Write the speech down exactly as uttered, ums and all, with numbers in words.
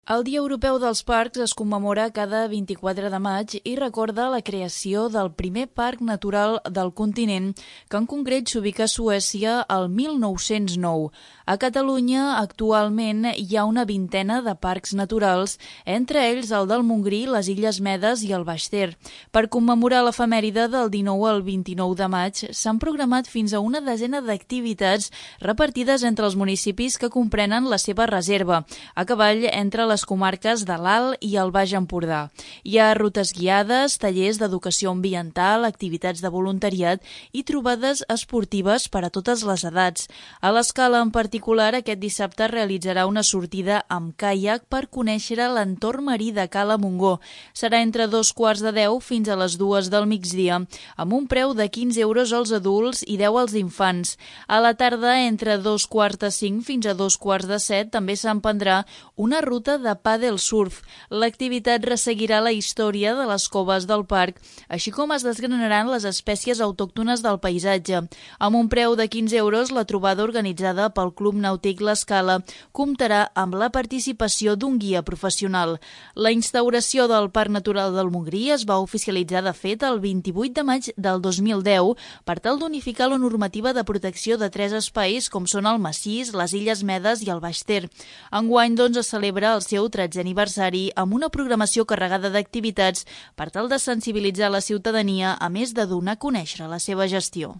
El Dia Europeu dels Parcs es commemora cada vint-i-quatre de maig i recorda la creació del primer parc natural del continent, que en concret s'ubica a Suècia el mil nou-cents nou. A Catalunya, actualment, hi ha una vintena de parcs naturals, entre ells el del Montgrí, les Illes Medes i el Baix Ter. Per commemorar l'efemèride del dinou al vint-i-nou de maig, s'han programat fins a una desena d'activitats repartides entre els municipis que comprenen la seva reserva, a cavall entre les les comarques de l'Alt i el Baix Empordà. Hi ha rutes guiades, tallers d'educació ambiental, activitats de voluntariat i trobades esportives per a totes les edats. A l'Escala, en particular, aquest dissabte realitzarà una sortida amb caiac per conèixer l'entorn marí de Cala Montgó. Serà entre dos quarts de deu fins a les dues del migdia, amb un preu de quinze euros als adults i deu als infants. A la tarda, entre dos quarts de cinc fins a dos quarts de set, també s'emprendrà una ruta de pàdel surf. L'activitat resseguirà la història de les coves del parc, així com es desgranaran les espècies autòctones del paisatge. Amb un preu de quinze euros, la trobada organitzada pel Club Nàutic L'Escala comptarà amb la participació d'un guia professional. La instauració del Parc Natural del Montgrí es va oficialitzar de fet el vint-i-vuit de maig del dos mil deu per tal d'unificar la normativa de protecció de tres espais com són el Massís, les Illes Medes i el Baix Ter. Enguany, doncs, es celebra el seu tretzè aniversari amb una programació carregada d'activitats per tal de sensibilitzar la ciutadania, a més de donar a conèixer la seva gestió.